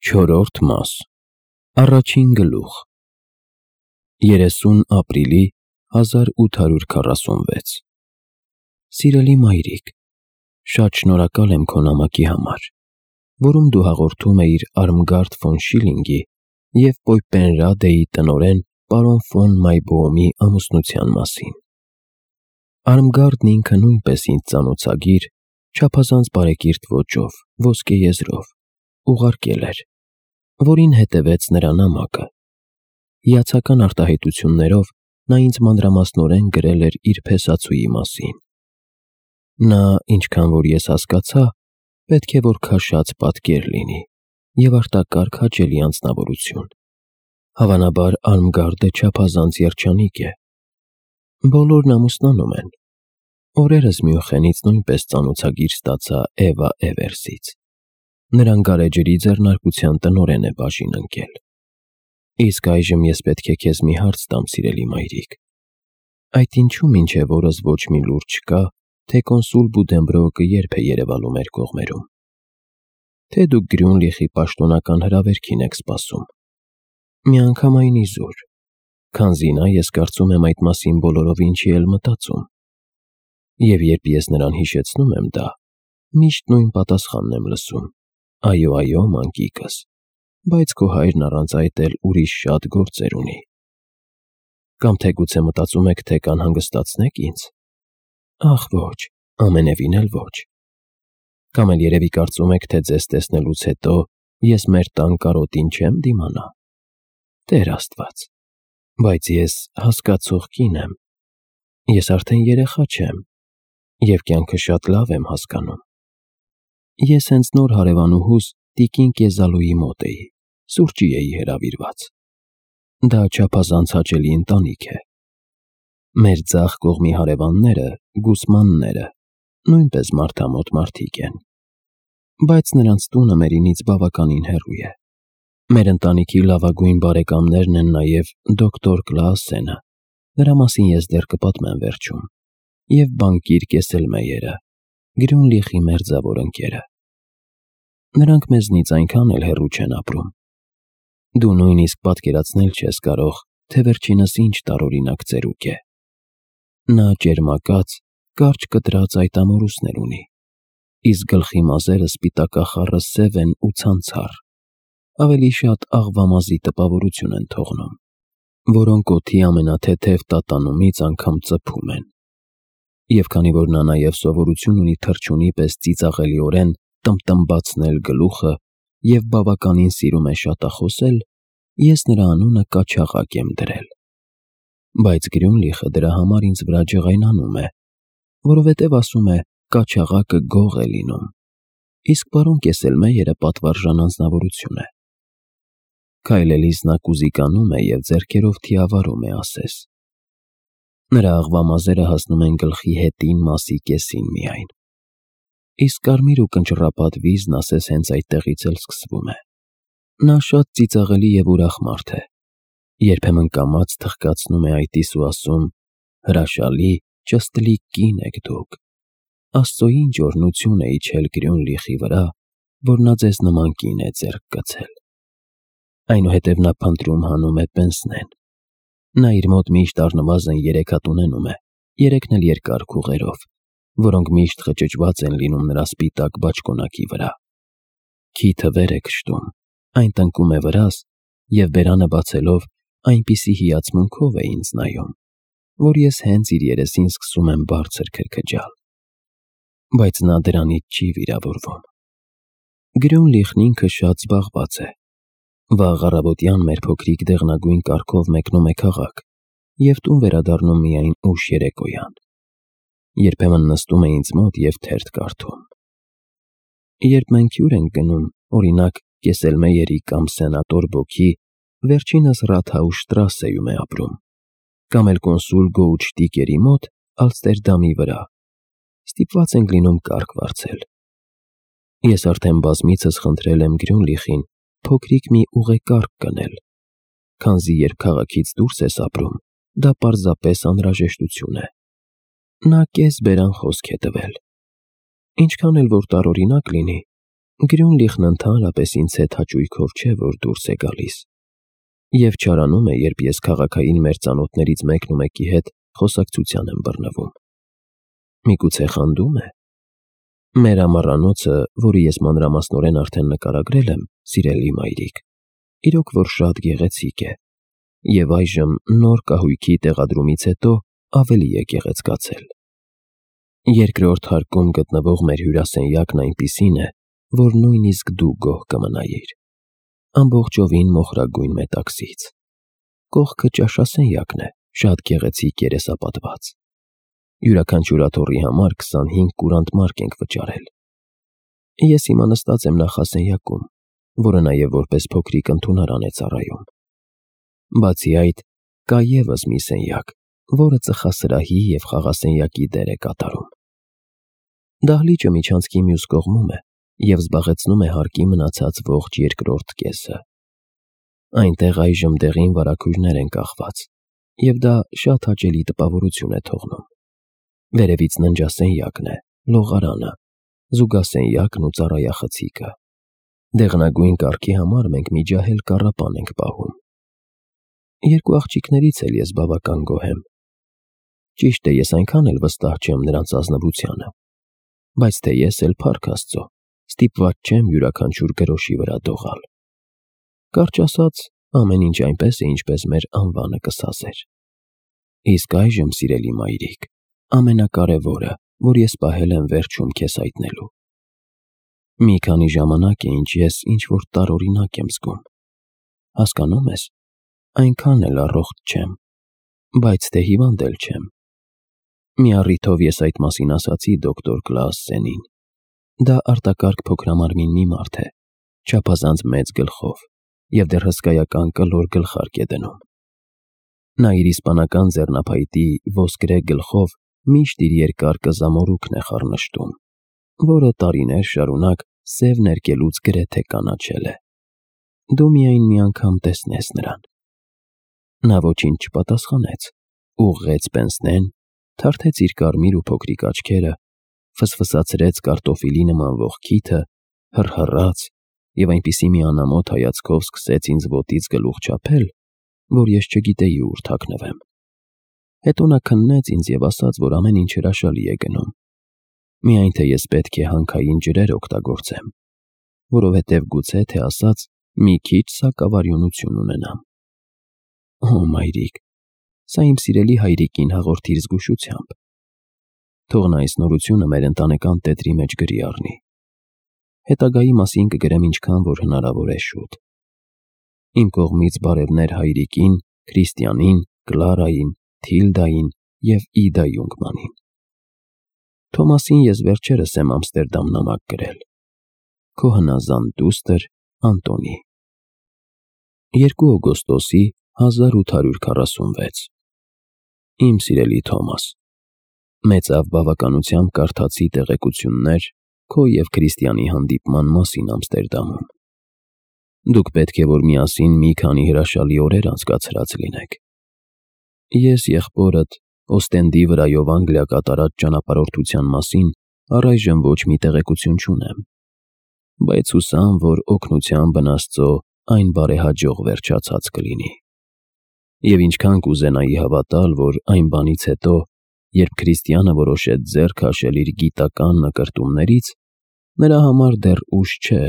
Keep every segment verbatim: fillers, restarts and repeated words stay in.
Չորրորդ մաս Առաջին գլուխ երեսուն ապրիլի հազար ութ հարյուր քառասունվեց Սիրելի մայրիկ, շատ շնորհակալ եմ քո նամակի համար, որում դու հաղորդում էիր Արմգարդ ֆոն Շիլինգի և Պոյպպենրադեի տնօրեն պարոն ֆոն Մայբոոմի ամուսնության մասին։ Արմգարդն ինքը նույնպես ինձ ծանոթագիր, չափազանց բարեկիրթ ոճով, ոսկե եզրով, ուղարկել էր, որին հետևեց նրա նամակը։ Հիացական արտահայտություններով նա ինձ մանրամասնորեն գրել էր իր փեսացուի մասին։ Նա, ինչքան որ ես հասկացա, պետք է որ քաշած պատկեր լինի և արտակարգ հաճելի անձնավորություն։ Հավանաբար Արմգարդը չափազանց երջանիկ է։ Բոլորն ամուսնանում են։ Օրերս Մյունխենից նույնպես ծանոթագիր ստացա Էվա Էվերսից։ Նրան գարեջրի ձեռնարկության տնօրեն է բաժին ընկել։ Իսկ այժմ ես պետք է քեզ մի հարց տամ, սիրելի մայրիկ։ Այդ ինչու մինչև օրս ոչ մի լուր չկա, թե կոնսուլ Բուդենբրոկը երբ է երևալու մեր կողմերում։ Թե դուք Գրյունլիխի պաշտոնական հրավերքին եք սպասում։ Միանգամայն իզուր, քանզի նա ես կարծում եմ այդ մասին բոլորովին չի էլ մտածում։ Եվ երբ ես նրան հիշեցնում եմ դա, միշտ նույն պատասխանն եմ լսում. այո, այո, մանկիկս, բայց քո հայրն առանց այդ էլ ուրիշ շատ գործեր ունի։ Կամ թե գուցե մտածում եք, թե կանհանգստացնեք ինձ։ Ախ ոչ, ամենևին էլ ոչ։ Կամ էլ երևի կարծում եք, թե ձեզ տեսնելուց հետո ես մեր տան կարոտին չեմ դիմանա։ Տեր Աստված, բայց ես հասկացող կին եմ։ Ես արդեն երեխա չեմ և կյանքը շատ լավ եմ հասկանում։ Ես հենց նոր հարևանուհուս տիկին Կեզալոյի մոտ էի, սուրճի էի հրավիրված։ Դա չափազանց հաճելի ընտանիք է։ Մեր ձախ կողմի հարևանները, Գուսմանները, նույնպես մարդամոտ մարդիկ են։ Բայց նրանց տունը մերինից բավականին հեռու է։ Մեր ընտանիքի լավագույն բարեկամներն են նաև դոկտոր Կլաասենը, նրա մասին ես դեռ կպատմեմ վերջում, և բանկիր Կեսելմեյերը, Գրյունլիխի մերձավոր ընկերը։ Նրանք մեզնից այնքան էլ հեռու չեն ապրում։ Դու նույնիսկ պատկերացնել չես կարող, թե վերջինս ինչ տարօրինակ ծերուկ է։ Նա ճերմակած, կարճ կտրած այդ ամորուսներ ունի, իսկ գլխի մազերը սպիտակախառը սև են ու ցանցառ, ավելի շատ աղվամազի տպավորություն են թողնում, որոնք օդի ամենաթեթև տատանումից անգամ ծփում են։ Եվ քանի որ նա նաև սովորություն ունի թռչունի պես ծիծաղելիորեն տմբտմբացնել գլուխը և բավականին սիրում է շատախոսել, ես նրա անունը Կաչաղակ եմ դրել։ Բայց Գրյունլիխը դրա համար ինձ վրա ջղայնանում է, որովհետև ասում է Կաչաղակը գող է լինում, իսկ պարոն Կեսելմեյերը պատվարժան անձնավորություն է։ Քայլելիս նա կուզիկանում է և ձեռքերով թիավարում է ասես։ Նրա աղվամազերը հասնում են գլխի հետին մասի կեսին միայն։ Իսկ կարմիր ու կնճռապատ վիզն ասես հենց այդտեղից էլ սկսվում է։ Նա շատ ծիծաղելի և ուրախ մարդ է։ Երբեմն կամաց թխկացնում է այտիս ու ասում. «Հրաշալի, ճստլիկ կին եք դուք։ Աստծո ինչ օրհնություն է իջել Գրյունլիխի վրա, որ նա ձեզ նման կին է ձեռք գցել»։ Այնուհետև նա փնտրում հանում է պենսնեն։ Նա իր մոտ միշտ առնվազն երեք հատ ունենում է, երեքն էլ երկար քուղերով, որոնք միշտ խճճված են լինում նրա սպիտակ բաճկոնակի վրա։ Քիթը վեր է քշտում, այն տնկում է վրաս և բերանը բացելով այնպիսի հիացմունքով է ինձ նայում, որ ես հենց իր երեսին սկսում եմ բարձր քրքջալ։ Բայց նա դրանից չի վիրավորվում։ Գրյունլիխն ինքը շատ զբաղված է։ Վաղ առավոտյան մեր փոքրիկ դեղնագույն կառքով մեկնում է քաղաք և տուն վերադառնում միայն ուշ երեկոյան։ Երբեմն նստում է ինձ մոտ և թերթ կարդում։ Երբ մենք հյուր ենք գնում, օրինակ Կեսելմեյերի կամ սենատոր Բոքի, վերջինս Ռաթհաուսշտրասեում է ապրում, կամ էլ կոնսուլ Գոուչտիկերի մոտ Ալստերդամի վրա, ստիպված ենք լինում կառք վարձել։ Ես արդեն բազմիցս խնդրել եմ Գրյունլիխին փոքրիկ մի ուղեկառք գնել, քանզի երբ քաղաքից դուրս ես ապրում, դա պարզապես անհրաժեշտություն է։ Նա կես բերան խոսք է տվել։ Ինչքան էլ որ տարօրինակ լինի, Գրյունլիխն ընդհանրապես ինձ հետ հաճույքով չէ, որ դուրս է գալիս, և չարանում է, երբ ես քաղաքային մեր ծանոթներից մեկն ու մեկի հետ խոսակցության եմ բռնվում։ Միգուցե խանդում է։ Մեր ամառանոցը, որը ես մանրամասնորեն արդեն նկարագրել եմ, սիրելի մայրիկ, իրոք որ շատ գեղեցիկ է, և այժմ նոր կահույքի տեղադրումից հետո ավելի է գեղեցկացել։ Երկրորդ հարկում գտնվող մեր հյուրասենյակն այնպիսին է, որ նույնիսկ դու գոհ կմնայիր։ Ամբողջովին մոխրագույն մետաքսից։ Կողքը ճաշասենյակն է, շատ գեղեցիկ երեսապատված։ Յուրաքանչյուր աթոռի համար քսանհինգ կուրանտ մարկ ենք վճարել։ Ես հիմա նստած եմ նախասենյակում, որը նաև որպես փոքրիկ ընդունարան է ծառայում։ Բացի այդ, կա ևս մի սենյակ, որը ծխասրահի և խաղասենյակի դեր է կատարում։ Դահլիճը միջանցքի մյուս կողմում է և զբաղեցնում է հարկի մնացած ողջ երկրորդ կեսը։ Այնտեղ այժմ դեղին վարագույրներ են կախված, և դա շատ հաճելի տպավորություն է թողնում։ Վերևից ննջասենյակն է, լողարանը, զուգասենյակն ու ծառայախցիկը։ Դեղնագույն կարգի համար մենք մի ջահել կառապան ենք պահում։ Երկու աղջիկներից էլ ես բավական գոհ եմ։ Ճիշտ է, ես այնքան էլ վստահ չեմ նրանց ազնվությանը, բայց թե ես էլ, փառք Աստծո, ստիպված չեմ յուրաքանչյուր գրոշի վրա դողալ։ Կարճ ասած, ամեն ինչ այնպես է, ինչպես մեր անվանը կսազեր։ Իսկ այժմ, սիրելի մայրիկ, ամենակարևորը, որ ես պահել եմ վերջում քեզ հայտնելու։ Մի քանի ժամանակ է, ինչ ես ինչ-որ տարօրինակ եմ զգում։ Հասկանում ես, այնքան էլ առողջ չեմ, բայց թե հիվանդ էլ չեմ։ Մի առիթով ես այդ մասին ասացի դոկտոր Կլաասսենին։ Դա արտակարգ փոքրամարմին մի մարդ է, չափազանց մեծ գլխով, և դեռ հսկայական կլոր գլխարկ է դնում։ Նա իր իսպանական ձեռնափայտի ոսկրե գլխով միշտ իր երկար կզամորուքն է խառնշտում, որը տարիներ շարունակ սև ներկելուց գրեթե կանաչել է։ Դու միայն մի անգամ տեսնես նրան։ Նա ոչինչ չպատասխանեց, ուղղեց պենսնեն, թարթեց իր կարմիր ու փոքրիկ աչքերը, ֆսֆսացրեց կարտոֆիլի նման ողքիթը, հռհռաց և այնպիսի մի անամոթ հայացքով սկսեց ինձ ոտից գլուխ չափել, որ ես չգիտեի ուր թաքնվեմ։ Հետո նա քննեց ինձ և ասաց, որ ամեն ինչ հրաշալի է գնում, միայն թե ես պետք է հանքային ջրեր օգտագործեմ, որովհետև գուցե թե ասած մի քիչ սակավարյունություն ունենամ։ Օ, մայրիկ, սա իմ սիրելի հայրիկին հաղորդիր զգուշությամբ։ Թող նա այս նորությունը մեր ընտանեկան տետրի մեջ գրի առնի։ Հետագայի մասին կգրեմ ինչքան որ հնարավոր է շուտ։ Իմ կողմից բարևներ հայրիկին, Քրիստիանին, Կլարային, Թիլդային և Իդա Յունգմանին։ Թոմասին ես վերջերս եմ Ամստերդամ նամակ գրել։ Քո հնազանդ դուստր Անտոնի։ երկու օգոստոսի հազար ութ հարյուր քառասունվեց։ Իմ սիրելի Թոմաս, մեծավ բավականությամբ կարդացի տեղեկություններ քո և Քրիստիանի հանդիպման մասին Ամստերդամում։ Դուք պետք է որ միասին մի քանի հրաշալի օրեր անցկացրած լինեք։ Ես եղբորդ Օստենդի վրայով Անգլիա կատարած ճանապարհորդության մասին առայժմ ոչ մի տեղեկություն չունեմ, բայց հուսամ, որ օգնությամբ Աստծո այն բարեհաջող վերջացած կլինի։ Եվ ինչքան կուզենայի հավատալ, որ այն բանից հետո, երբ Քրիստիանը որոշեց ձեռք քաշել իր գիտական նկրտումներից, նրա համար դեռ ուշ չէ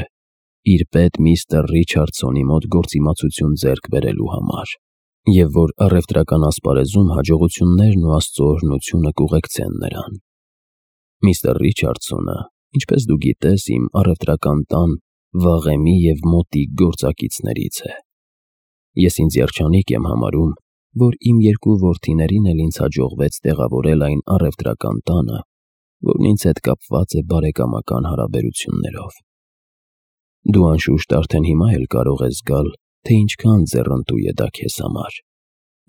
իր պետ միստր Ռիչարդսոնի մոտ գործիմացություն ձեռք բերելու համար, և որ առևտրական ասպարեզում հաջողություններն ու Աստծո օրհնությունը կուղեկցեն նրան։ Միստր Ռիչարդսոնը, ինչպես դու գիտես, իմ առևտրական տան վաղեմի և մոտիկ գործակիցներից է։ Ես ինձ երջանիկ եմ համարում, որ իմ երկու որդիներին էլ ինձ հաջողվեց տեղավորել այն առևտրական տանը, որն ինձ հետ կապված է բարեկամական հարաբերություններով։ Դու անշուշտ արդեն հիմա էլ կարող ես զգալ, թե ինչքան ձեռնտու է դա քեզ համար։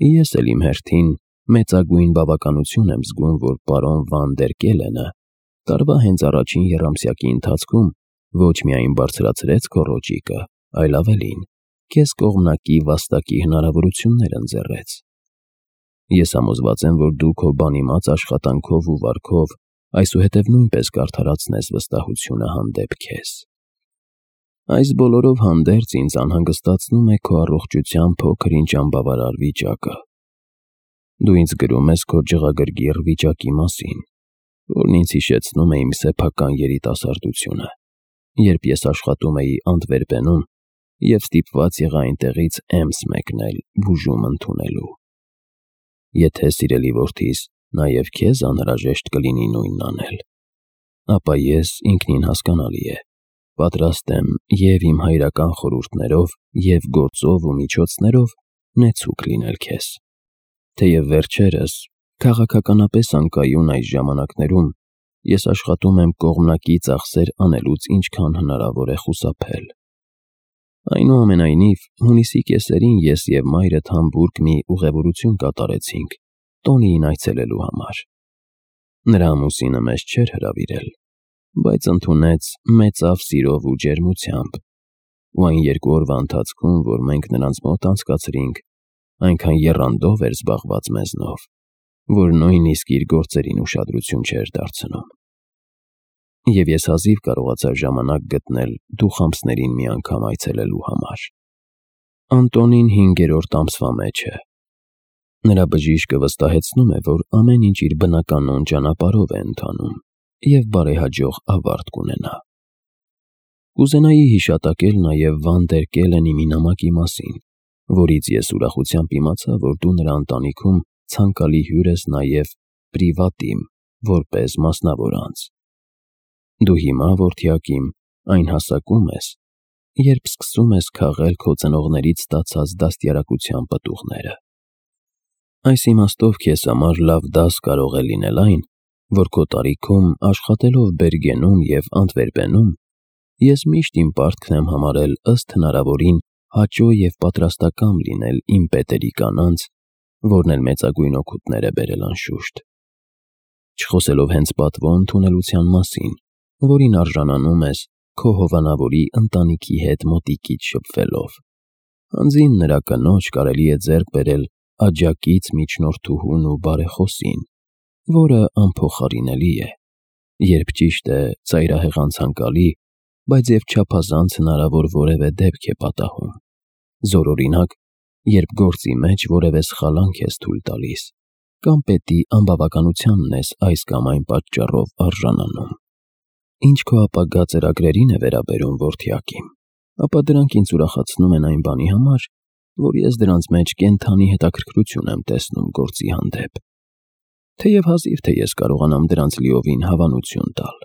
Ես էլ իմ հերթին մեծագույն բավականություն եմ զգում, որ պարոն Վան դեր Կելենը տարվա հենց առաջին եռամսյակի ընթացքում ոչ միայն բարձրացրեց քո ռոճիկը, այլ ավելին, քեզ կողմնակի վաստակի հնարավորություններ ընձեռեց։ Ես համոզված եմ, որ դու քո բանիմաց աշխատանքով ու վարքով այսուհետև նույնպես կարդարացնես վստահությունը հանդեպ քեզ։ Այս բոլորով հանդերձ ինձ անհանգստացնում է քո առողջության փոքր-ինչ անբավարար վիճակը։ Դու ինձ գրում ես քո ջղագրգիռ վիճակի մասին, որն ինձ հիշեցնում է իմ սեփական երիտասարդությունը, երբ ես աշխատում էի Անտվերպենում և ստիպված եղա այնտեղից Էմս մեկնել բուժում ընդունելու։ Եթե սիրելի որդիս նաև քեզ անհրաժեշտ կլինի նույնն անել, ապա ես ինքնին հասկանալի է, պատրաստ եմ և իմ հայրական խորհուրդներով, և գործով ու միջոցներով նեցուկ լինել քեզ։ Թեև վերջերս, քաղաքականապես անկայուն այս ժամանակներում, ես աշխատում եմ կողմնակի ծախսեր անելուց ինչքան հնարավոր է խուսափել։ Այնուամենայնիվ, հունիսի կեսերին ես և մայրդ Համբուրգ մի ուղևորություն կատարեցինք Տոնիին այցելելու համար։ Նրա ամուսինը մեզ չէր հրավիրել, բայց ընդունեց մեծավ սիրով ու ջերմությամբ, ու այն երկու օրվա ընթացքում, որ մենք նրանց մոտ անցկացրինք, այնքան եռանդով էր զբաղված մեզնով, որ նույնիսկ իր գործերին ուշադրություն չէր դարձնում։ Եվ ես հազիվ կարողացա ժամանակ գտնել դուխամսներին մի անգամ այցելելու համար։ Անտոնին հինգերորդ ամսվա մեջ է։ Նրա բժիշկը վստահեցնում է, որ ամեն ինչ իր բնականոն ճանապարհով է ընթանում և բարեհաջող ավարտ կունենա։ Կուզենայի հիշատակել նաև Վան դեր Կելենի մի նամակի մասին, որից ես ուրախությամբ իմացա, որ դու նրա ընտանիքում ցանկալի հյուր ես նաև պրիվատիմ, որպես մասնավոր անձ։ Դու հիմա, որդյակ իմ, այն հասակում ես, երբ սկսում ես քաղել քո ծնողներից ստացած դաստիարակության պտուղները։ Այս իմաստով քեզ համար լավ դաս կարող է լինել այն, որ քո տարիքում աշխատելով Բերգենում և Անտվերպենում, ես միշտ իմ պարտքն եմ համարել ըստ հնարավորին հաճո և պատրաստակամ լինել իմ պետերի կանանց, որն էլ մեծագույն օգուտներ է բերել անշուշտ։ Չխոսելով հենց պատվո ընդունելության մասին, որին արժանանում ես քո հովանավորի ընտանիքի հետ մոտիկից շփվելով, հանձին նրա կնոջ կարելի է ձեռք բերել աջակից միջնորդուհուն ու բարեխոսին, որը անփոխարինելի է, երբ ճիշտ է ծայրահեղ-անցանկալի, բայց և չափազանց հնարավոր որևէ դեպք է պատահում, զորօրինակ, երբ գործի մեջ որևէ սխալանք ես թույլ տալիս, կամ պետի անբավականությանն ես այս կամ այն պատճառով արժանանում։ Ինչ քո ապագա ծրագրերին է վերաբերում, որդյակ իմ, ապա դրանք ինձ ուրախացնում են այն բանի համար, որ ես դրանց մեջ կենդանի հետաքրքրություն եմ տեսնում գործի հանդեպ, թեև հազիվ թե ես կարողանամ դրանց լիովին հավանություն տալ։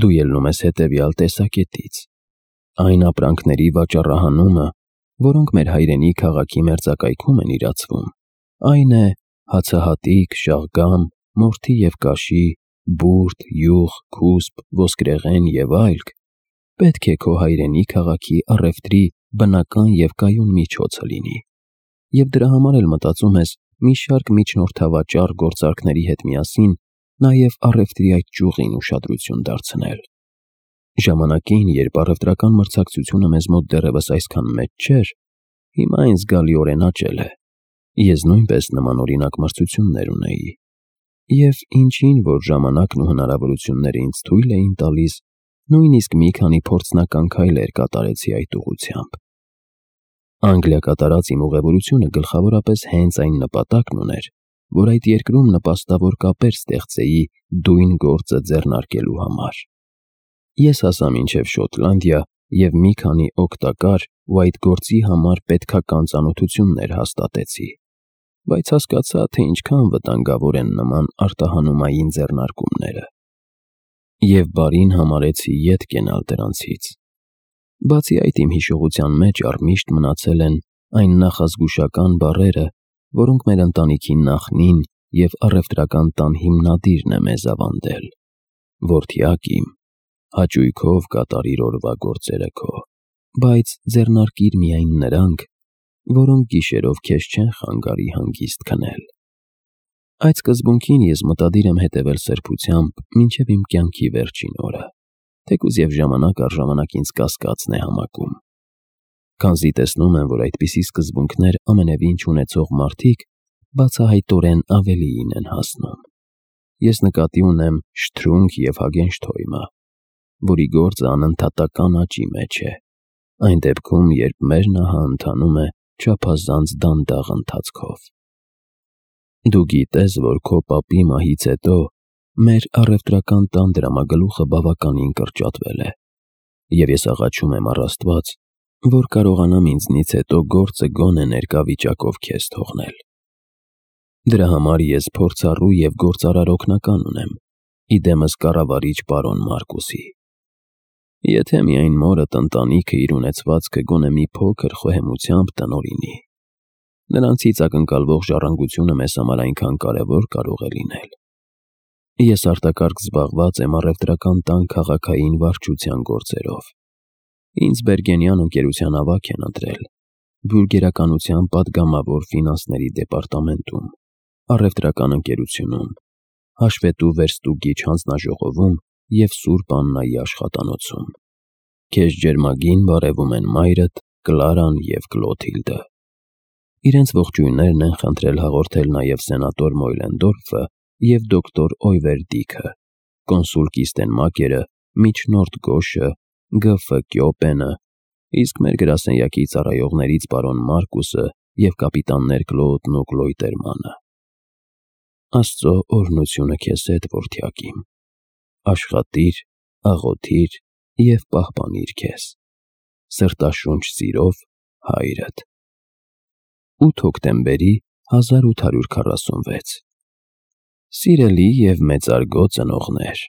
Դու ելնում ես հետևյալ տեսակետից. այն ապրանքների վաճառահանումը, որոնք մեր հայրենի քաղաքի մերձակայքում են իրացվում, այն է հացահատիկ, շաղգամ, մորթի և կաշի, բուրդ, յուղ, քուսպ, ոսկրեղեն և այլք, պետք է քո հայրենի քաղաքի առևտրի բնական և կայուն միջոցը լինի, և դրա համար էլ մտածում ես մի շարք միջնորդավաճառ գործարքների հետ միասին նաև առևտրի այդ ճյուղին ուշադրություն դարձնել։ Ժամանակին, երբ առևտրական մրցակցությունը մեզ մոտ դեռևս այսքան մեծ չէր, հիմա այն զգալիորեն աճել է, ես նույնպես նմանօրինակ մրցություններ ունեի, և ինչին որ ժամանակն ու հնարավորությունները ինձ թույլ էին տալիս, նույնիսկ մի քանի փորձնական քայլեր կատարեցի այդ ուղղությամբ։ Անգլիա կատարած իմ ուղևորությունը գլխավորապես հենց այն նպատակն ուներ, որ այդ երկրում նպաստավոր կապեր ստեղծեի դույն գործը ձեռնարկելու համար։ Ես հասա մինչև Շոտլանդիա և մի քանի օգտակար ու այդ գործի համար պետքական ծանոթություններ հաստատեցի, բայց հասկացա, թե ինչքան վտանգավոր են նման արտահանումային ձեռնարկումները, և բարին համարեցի ետ կենալ դրանցից։ Բացի այդ, իմ հիշողության մեջ առմիշտ մնացել են այն նախազգուշական բառերը, որոնք մեր ընտանիքի նախնին և առևտրական տան հիմնադիրն է մեզ ավանդել. որդյակ իմ, հաճույքով կատարիր օրվա գործերը քո, բայց ձեռնարկիր միայն նրանք, որոնք գիշերով քեզ չեն խանգարի հանգիստ քնել։ Այդ սկզբունքին ես մտադիր եմ հետևել սրբությամբ մինչև իմ կյանքի վերջին օրը, թեկուզ և ժամանակ առ ժամանակ ինձ կասկածն է համակում։ Քանզի տեսնում եմ, որ այդպիսի սկզբունքներ ամենևին չունեցող մարդիկ բացահայտորեն ավելիին են հասնում։ Ես նկատի ունեմ Շթրունգ և Հագենշթոյմը, որի գործը անընդհատական աճի մեջ է, այն դեպքում, երբ մեր նահը ընթանում է չափազանց դանդաղ ընթացքով։ Դու գիտես, որ քո պապի մահից հետո մեր առևտրական տան դրամագլուխը բավականին կրճատվել է, և ես աղաչում եմ առ Աստված, որ կարողանամ ինձնից հետո գործը գոնե ներկա վիճակով քեզ թողնել։ Դրա համար ես փորձառու և գործարար օգնական ունեմ, ի դեմս կառավարիչ պարոն Մարկուսի։ Եթե միայն մորդ ընտանիքը իր ունեցվածքը գոնե մի փոքր խոհեմությամբ տնօրինի, նրանցից ակնկալվող ժառանգությունը մեզ համար այնքան կարևոր կարող է լինել։ Ես արտակարգ զբաղված եմ առևտրական տան քաղաքային վարչության գործերով։ Ինձ Բերգենյան ընկերության ավագ են ընտրել, բյուրգերականության պատգամավոր ֆինանսների դեպարտամենտում, առևտրական ընկերությունում, հաշվետու վերստուգիչ հանձնաժողովում և Սուրբ Աննայի աշխատանոցում։ Քեզ ջերմագին բարևում են մայրդ, Կլարան և Կլոթիլդը։ Իրենց ողջույններն են խնդրել հաղորդել նաև սենատոր Մոյլենդորֆը և դոկտոր Օյվերդիքը, կոնսուլ Կիստենմակերը, միջնորդ Գոշը, Գ Ֆ Կյոպենը, իսկ մեր գրասենյակի ծառայողներից պարոն Մարկուսը և կապիտաններ Կլոդն ու Կլոյտերմանը։ Աստծո օրհնությունը քեզ հետ, որդյակիմ, աշխատիր, աղոթիր և պահպանիր քեզ։ Սրտաշունչ սիրով, Հայրդ։ ութ հոկտեմբերի հազար ութ հարյուր քառասունվեց։ Սիրելի և մեծարգո ծնողներ,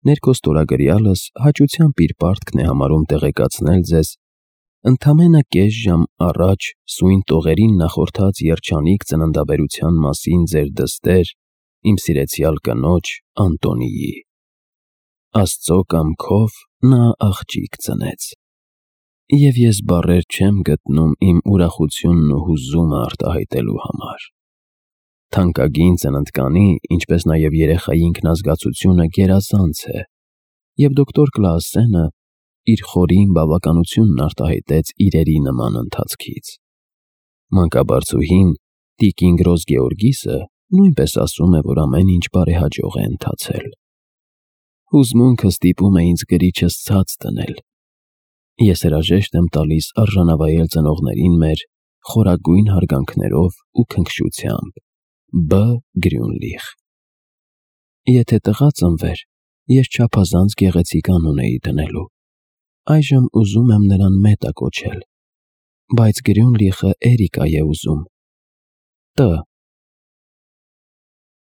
ներքո ստորագրյալս հաճությամբ իր պարտքն է համարում տեղեկացնել ձեզ ընդամենը կես ժամ առաջ սույն տողերին նախորդած երջանիկ ծննդաբերության մասին ձեր դստեր, իմ սիրեցյալ կնոջ Անտոնիի։ Աստծո կամքով նա աղջիկ ծնեց, և ես բառեր չեմ գտնում իմ ուրախությունն ու հուզումը արտահայտելու համար։ Թանկագին ծննդկանի, ինչպես նաև երեխայի ինքնազգացությունը գերազանց է, և դոկտոր Կլաասենը իր խորին բավականությունն արտահայտեց իրերի նման ընթացքից։ Մանկաբարձուհին, տիկին Գրոզ Գեորգիսը, նույնպես ասում է, որ ամեն ինչ բարեհաջող է ընթացել։ Հուզմունքը ստիպում է ինձ կրիչս ցած դնել։ Ես հրաժեշտ եմ տալիս արժանավայել ծնողներին մեր խորագույն հարգանքներով ու քնքշությամբ։ Բ. Գրյունլիխ։ Եթե տղա ծնվեր, ես չափազանց գեղեցիկ անուն էի դնելու։ Այժմ ուզում եմ նրան Մետա կոչել, բայց Գրյունլիխը Էրիկա է ուզում։ Տ.